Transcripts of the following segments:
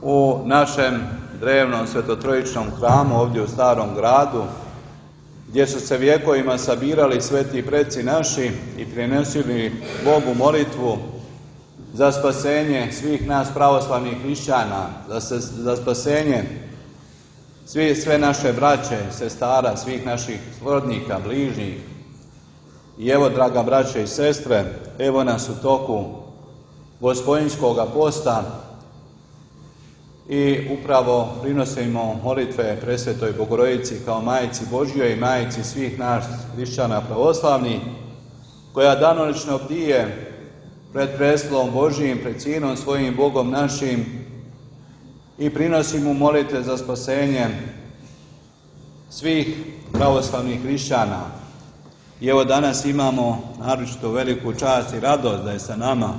u našem drevnom svetotrojičnom hramu ovdje u Starom gradu, gdje su se vjekovima sabirali sveti preci naši i prinosili Bogu molitvu za spasenje svih nas pravoslavnih hrišćana, za spasenje sve naše braće, sestara, svih naših srodnika, bližnjih. I evo, draga braće i sestre, evo nas u toku Gospodinjskoga posta i upravo prinosimo molitve Presvetoj Bogorodici kao Majici Božjoj i Majici svih nas hrišćana pravoslavnih, koja danonoćno bdije pred prestolom Božjim, pred Sinom svojim Bogom našim i prinosi mu molitve za spasenje svih pravoslavnih hrišćana. I evo danas imamo naročito veliku čast i radost da je sa nama.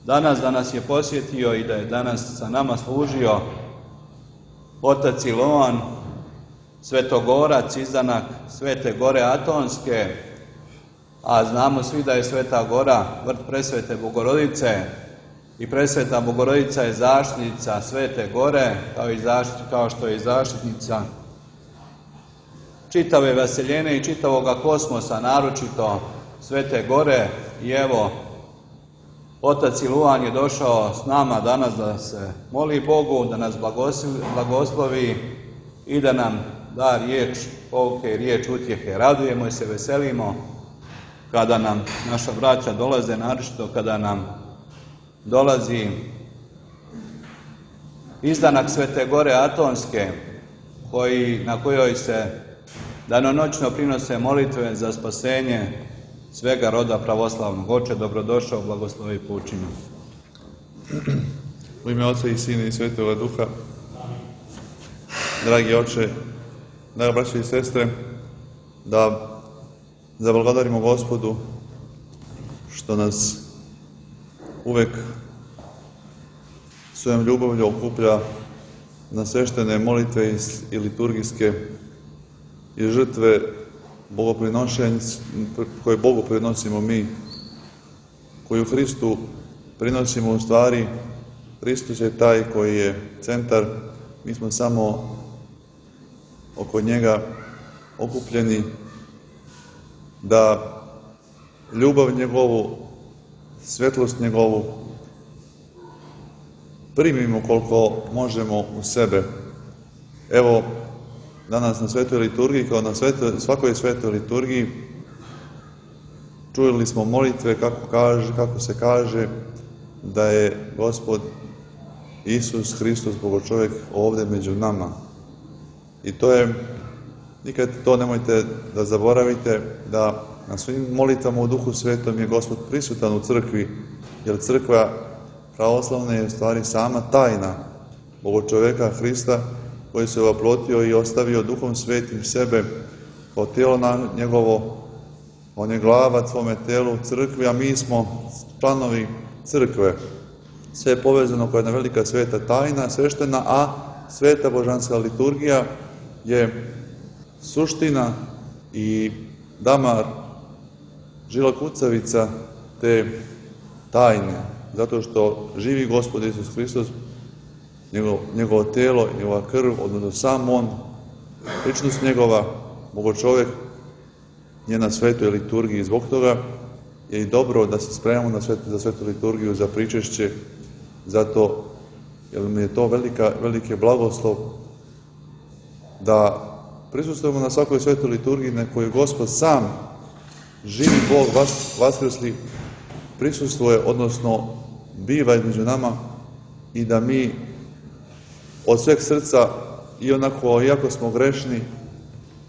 Danas da nas je posjetio i da je danas sa nama služio otac Iloan, svetogorac, izdanak Svete Gore Atonske, a znamo svi da je Sveta Gora vrt Presvete Bogorodice i Presveta Bogorodica je zaštitnica Svete Gore, kao što je i zaštitnica čitave vaseljene i čitavoga kosmosa, naročito Svete Gore. I evo, otac Iloan je došao s nama danas da se moli Bogu, da nas blagoslovi i da nam da riječ pouke i riječ utjehe. Radujemo se, veselimo kada nam naša braća dolaze, naročito kada nam dolazi izdanak Svete Gore Atonske, na kojoj se danonoćno prinose molitve za spasenje svega roda pravoslavnog. Oče, dobrodošao, blagoslovi poučinu. U ime Oca i Sina i Svetoga Duha. Dragi Oče, draga braće i sestre, da zablagodarimo Gospodu što nas uvek svojom ljubavlju okuplja na sveštene molitve i liturgijske i žrtve koje Bogu prinosimo mi, koju Hristu prinosimo u stvari. Hristos je taj koji je centar, mi smo samo oko njega okupljeni da ljubav njegovu, svetlost njegovu primimo koliko možemo u sebe. Evo, danas na svetoj liturgiji, kao na svakoj svetoj liturgiji, čuli smo molitve kako se kaže da je Gospod Isus Hristos, Bogočovjek, ovdje među nama. I to je, nikad to nemojte da zaboravite, da na svim molitvama u Duhu Svetom je Gospod prisutan u crkvi, jer crkva pravoslavna je u stvari sama tajna Bogočovjeka Hrista, koji se oplotio i ostavio Duhom Svetim sebe kao tijelo njegovo. On je glava svome tijelu crkvi, a mi smo članovi crkve. Sve je povezano kao jedna velika sveta tajna, sveštena, a sveta božanska liturgija je suština i damar, žila kucavica te tajne, zato što živi Gospod Isus Hristos, njegovo tijelo, njegova krv, odnosno sam on, ličnost njegova, Bogočovjek, je na svetoj liturgiji. Zbog toga je i dobro da se spremamo za svetu liturgiju, za pričešće, zato jer mi je to veliki blagoslov da prisustvujemo na svakoj svetoj liturgiji na kojoj Gospod sam, živi Bog, vaskrsli, prisustvuje, odnosno biva između nama, i da mi od sveg srca, iako smo grešni,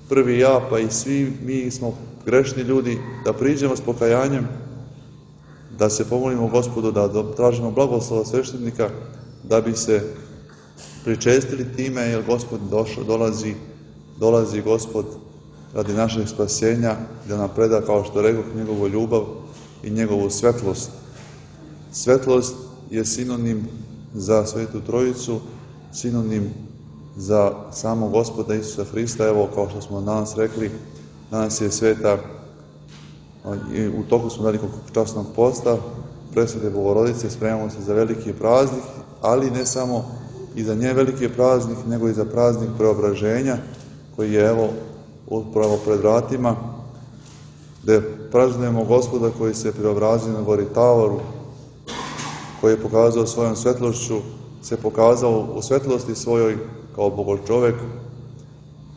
prvi ja, pa i svi mi smo grešni ljudi, da priđemo s pokajanjem, da se pomolimo Gospodu, da tražimo blagoslova sveštenika, da bi se pričestili time, jer Gospod dolazi Gospod radi našeg spasenja, da nam preda, kao što rekoh, njegovu ljubav i njegovu svetlost. Svetlost je sinonim za Svetu Trojicu, sinonim za samog Gospoda Isusa Hrista. Evo, kao što smo danas rekli, danas je sveta, u toku smo velikog časnog posta, Presvete Bogorodice, spremamo se za veliki praznik, ali ne samo i za nje veliki praznik, nego i za praznik preobraženja, koji je evo upravo pred vratima, gde praznujemo Gospoda koji se preobrazio na gori Tavoru, koji je pokazao svojom svetlošću, se pokazao u svetlosti svojoj kao bogočovek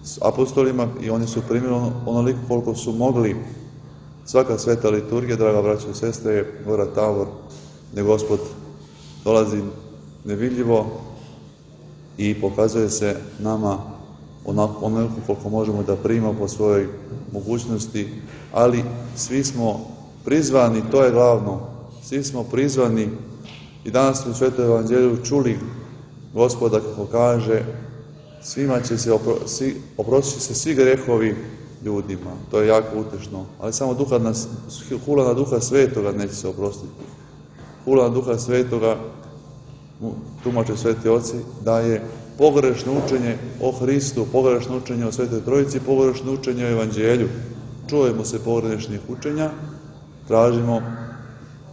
s apostolima i oni su primili onoliko koliko su mogli. Svaka sveta liturgija, draga braćo i sestre, je gora Tavor, gde Gospod dolazi nevidljivo i pokazuje se nama onoliko koliko možemo da primamo po svojoj mogućnosti, ali svi smo prizvani, to je glavno, svi smo prizvani i danas u Svetom evanđelju čuli Gospoda kako kaže svima će se oprostit se svi grehovi ljudima, to je jako utešno, ali samo hula na Duha Svetoga neće se oprostiti. Hula na Duha Svetoga, tumače sveti oci, da je pogrešno učenje o Hristu, pogrešno učenje o Svetoj Trojici, pogrešno učenje o Evanđelju. Čujemo se pogrešnih učenja,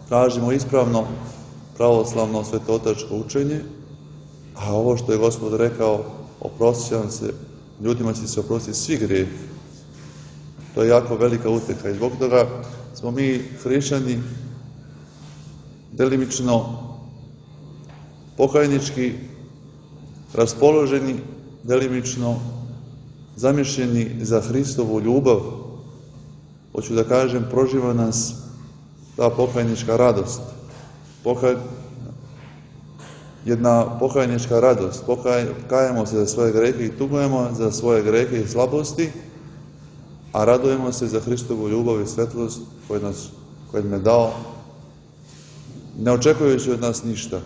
tražimo ispravno pravoslavno svetootačko učenje, a ovo što je Gospod rekao, oprostit će vam se, ljudima će se oprostiti svi grijehi. To je jako velika uteka i zbog toga smo mi hrišćani delimično pokajnički raspoloženi, delimično zamišljeni za Hristovu ljubav. Hoću da kažem, proživa nas ta pokajnička radost. Jedna pokajnička radost. Kajemo se za svoje grehe i tugujemo za svoje grehe i slabosti, a radujemo se za Hristovu ljubav i svetlost koju nam je dao, ne očekujući od nas ništa.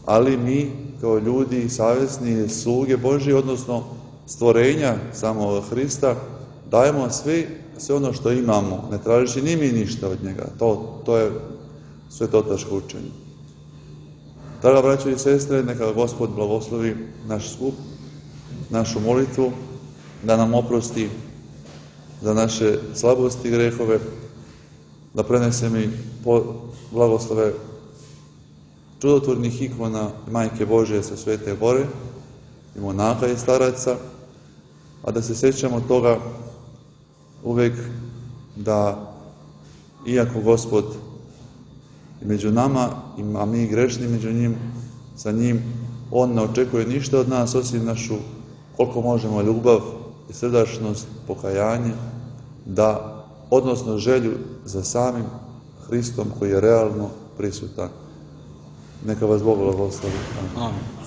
Ali mi, kao ljudi savjesni, sluge Božji, odnosno stvorenja samog Hrista, dajemo sve ono što imamo, ne tražići ni mi ništa od njega. To je svetotačko učenje. Draga braćo i sestre, neka Gospod blagoslovi naš skup, našu molitvu, da nam oprosti za naše slabosti i grehove, da prenese mi blagoslove čudotvornih ikona Majke Božje sa Svete Gore i monaha i staraca, a da se sjećamo toga uvek da, iako Gospod je među nama, a mi grešni među njim, sa njim, On ne očekuje ništa od nas, osim našu, koliko možemo, ljubav i srdačnost, pokajanje, odnosno želju za samim Hristom koji je realno prisutan. Neka vas Bog blagoslovi. Amen.